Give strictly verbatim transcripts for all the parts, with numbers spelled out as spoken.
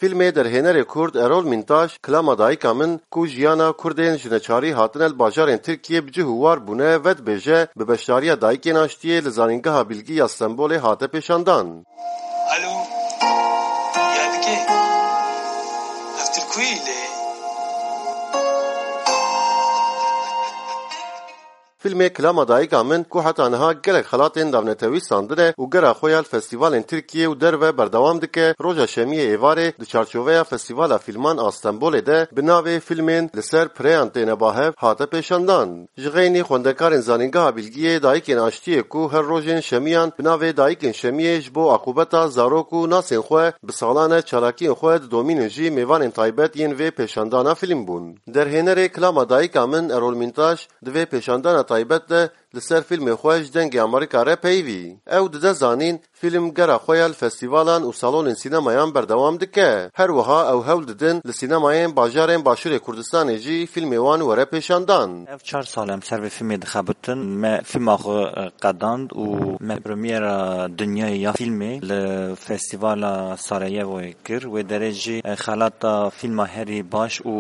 Fîlmê derhênerê Kurd Erol Mîntaş, Kilama Dayika Min, ku jiyana Kurdên ji neçarî hatine li bajarên Tirkiyê bi cih û war bûne, vedibêje, bi beşdariya Dayikên Aştiyê li Zanîngeha Bilgî ya Stenbolê hate pêşandan. Alo, Yadike, ev tu li ku yî lê? Fîlmê Kilama Dayika Min, ku heta niha gelek xelatên navnetewî standine û gera xwe ya li festîvalên Tirkiyê û derve berdewam dike, roja şemiyê êvarê di çarçoveya Festîvala Fîlman a Stenbolê de bi navê Fîlmên Li Ser Pireyan Têne Ba Hev hate pêşandan. Ji xeynî xwendekarên Zanîngeha Bilgiyê Dayikên Aştiyê, ku her rojên şemiyan bi navê Dayikên Şemiyê ji bo aqûbeta zarok û nasên xwe bi salan e çalakiyên xwe didomînin jî, mêvanên taybet yên vê pêşandana fîlm bûn. Derhênerê Kilama Dayika Min, Erol Mîntaş, di vê pêşandana taybet de li ser fîlmê xwe ji Dengê Amerîka re peyivî. Ew dide zanîn, fîlm gera xwe ya li festîvalan û salonên sînemayan berdewam dike. Her wiha ew hewl didin li sînemayên bajarên Başûrê Kurdistanê jî fîlmê wan were pêşandan. Ev çar sal em ser vê fîlmê dixebitin. Me fîlma xwe, e, qedand û me premiera dinyayê ya fîlmê li Festîvala Sarayevoyê kir. Wê derê jî, e, xelata fîlma herî baş û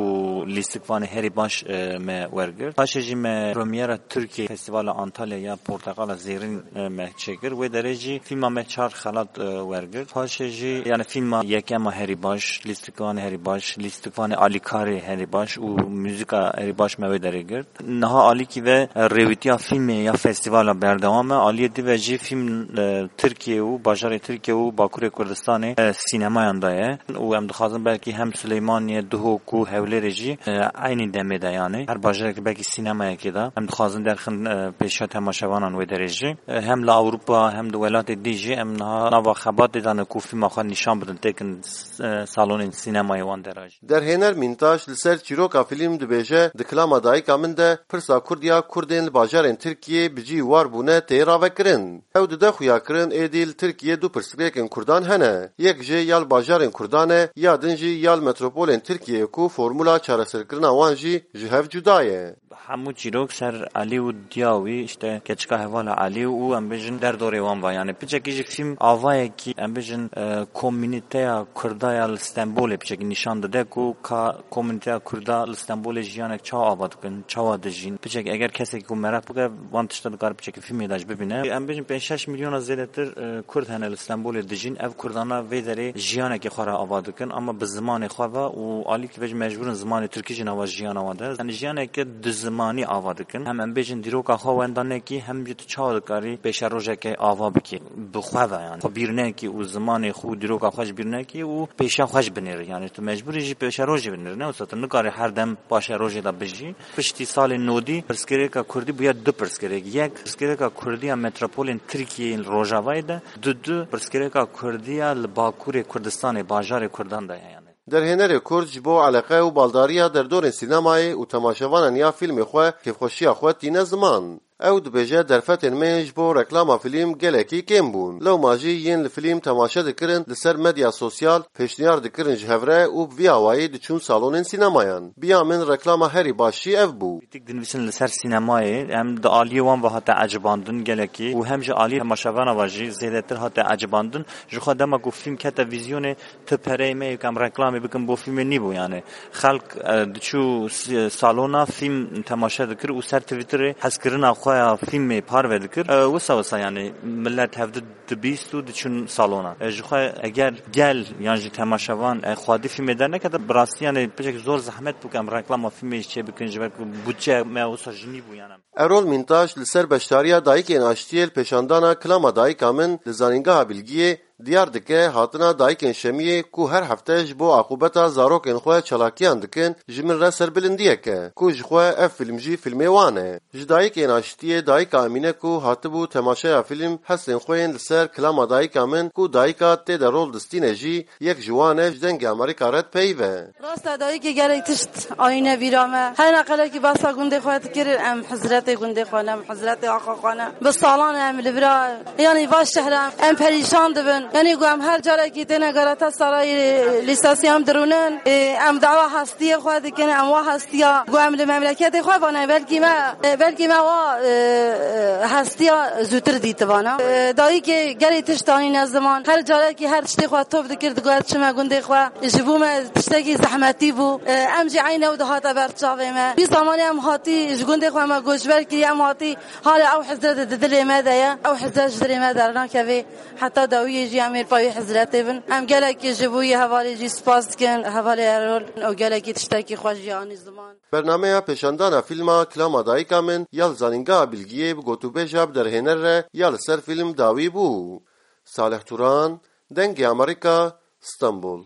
lîstikvanê herî baş, e, me wergirt. Paşê jî me premiera Tirkiye Festîvala Antalya ya Porteqala Zêrîn, e, me çêkir. Wê derê jî fîlma me çar xelat, e, wergirt. Paşê jî, yani, fîlma yekema herî baş, lîstikvanê herî baş, lîstikvanê alîkarê herî baş û muzîka herî baş me wê derê girt. Niha alîkî ve, e, rêwîtiya fîlmê ya festîvala berdewam e. Aliyê dî ve jî fîlm, e, Tirkiye û bajarê Tirkiye û Bakurê Kurdistanê, e, sînemayan de ye. Û em dixwazin belkî hem Silêmaniyê, Duhok û Hewlêrê jî, e, eynî demê de, yani her bajarekî belkî sînemayekê de em dixwazin derxin, e, pêşiya temaşevanan wê derê jî. E, hem li Ewropa hem di welatê dî jî em niha nava xebatê de ne ku fîlma xwe nîşan bidin, têkin s-, e, salonên sînemayê wan de re jî. Derhêner Mîntaş li ser çîroka fîlm dibêje, di Kilama Dayika Min de pirsa Kurd ya Kurdên li bajarên Tirkiyê bi cî war bûne tê ravekirin. Ew dide xuyakirin, êdî li Tirkiyê du pirsgirêkên Kurdan hene. Yek jê ya li bajarên Kurdan e, ya din jî ya li metropolên Tirkiyeyê ku formula çareserkirina wan jî ji hev cuda ye. Hemû çîrok ser Elî û diya wî, işte, keçika hevala Elî û, em bêjin, derdorê wan va. Yani piçekî jî fîlm avayekî, em bêjin, e, komînîteya Kurda ya li Stenbolê piçekî nîşan dide ku ka komînîteya Kurda li Stenbolê jiyanek çawa ava dikin, çawa dijîn. Piçekî eger kesekî ku meraq bike, van tişta dikare piçekî fîlmê de jî bibîne. Em bêjin pênc şeş milyona zêdetir, e, Kurd hene li Stenbolê dijîn. Ev Kurdana vê derê jiyanekê xwe re ava dikin, ama bi zimanê xwe ve û alîkî ve jî mecbûr in zimanê Tirkî jî nava jiyana wan de. Yani jiyaneke du zimanî ava dikin. Hem em bêjin dîroka xwe wenda nekî, hem jî tu çawa dikarî pêşerojeke ava bikî bi xwe ve, yani. Xwe bîr nekî û zimanê xwe û dîroka xwe ji bîr nekî û pêşiya xwe jî binêrî. Yani tu mecbûrî jî pêşerojê binêrî. Ne wisa tu nikarî her dem paşerojê de bijî. Piştî salên nodî pirsgirêka Kurdî bûye du pirsgirêk. Yek, pirsgirêka Kurdî ya metropolên Tirkiyeyê li Rojavayê de, du du, pirsgirêka Kurdî ya li Bakurê Kurdistanê, bajarê Kurdan de ye, yani. Derhênerê Kurd ji bo eleqe û baldariya derdorên sînemayê û temaşevanan ya fîlmê xwe kêfxweşiya xwe tîne ziman. Ew dibêje, derfetên me ji bo reklama fîlm gelekî kêm bûn. Lewma jî yên li fîlm temaşe dikirin, li ser medya sosyal pêşniyar dikirin ji hev re û bi vî awayî diçûn salonên sînemayan. Bi ya min reklama herî baş jî ev bû. Krîtîk dinivîsin li ser sînemayê, em di aliyê wan ve hate ecibandin gelekî û hem ji aliyê temaşevana ve jî zêdetir hate ecibandin. Ji xwe dema ku fîlm kete vîzyonê, ti pereyê me yê ku em reklamê bikin bo fîlmê nîbû, yani. Xelk, e, diçû s-, salona fîlm temaşe dikir û ser Twitterê hezkirina xwe ya fîlmê parve dikir. E, wisa wisa, yani, millet hevdi dibîst û diçûn salona. E, ji xwe eger gel yan jî temaşevan, e, xwedî fîlmê dernekete, bi rastî, yani, piçek zor zehmet bû ku em reklama fîlmê jî çê bikin, ji ber ku budçeya me wisa jî nîbû, yani. Erol Mîntaş li ser beşdariya Dayikên Aştiyê li pêşandana Kilama Dayika Min li Zanîngeha Bilgiyê diyar dike, hatina Dayikên Şemiyê ku her hefte ji bo aqûbeta zarokên xwe çalakiyan dikin, ji min re serbilindiyek e, ku ji xwe ev fîlm jî fîlmê wan e. Ji Dayikên Aştiyê Dayika Emîne ku hatibû temaşeya fîlm, hestên xwe yên li ser Kilama Dayika Min ku dayika tê de rol distîne jî, yek ji wan e, ji Dengê Amerîka re dipeyive. Rast e, dayikê gelek tişt ayîne vîra me. Her ne qelekî behsa gundê xwe dikir, em hizretê gundê xwe ne, em hizretê axa xwe ne. Bi salan e em li vira, yanî va şehre em perîşan dibin. Yanî ku em her carekî têne Galatasaray, e, lîstasî em dirûnin, e, em dawa hestiyê xwe dikin, em wa hestiya ku em li memleketê xwe vane, belkî me, e, belkî me wa, e, e, hestiya zûtir dîtibana. E, dayikê gelê tişt anîne ziman. Her carekî her tiştê xwe top dikir, digot çime gundê xwe. Ji bo me tiştekî zehmetî bû. E, em jî eyne ew dihate ber çavê me. Wî zamanê em hatî ji gundê xwe me goçber kiriye, em hatî hala ew hizre di, di dilê me de ye. Ew hizre ji dilê me dernakeve. Heta dawiyê jî em ê payî hizretê bin. Em gelekî ji bo yê hevalê jî spas dikin. Hevalê Erol û gelekî tiştekî xweş jî anî ziman. Bernameya pêşandana fîlma Kilama Dayika Min ya li Zanîngeha Bilgiyê bi gotûbêja bi derhêner re ya li ser fîlm dawî bû. Salih Turan, Dengê Amerîka, Stenbol.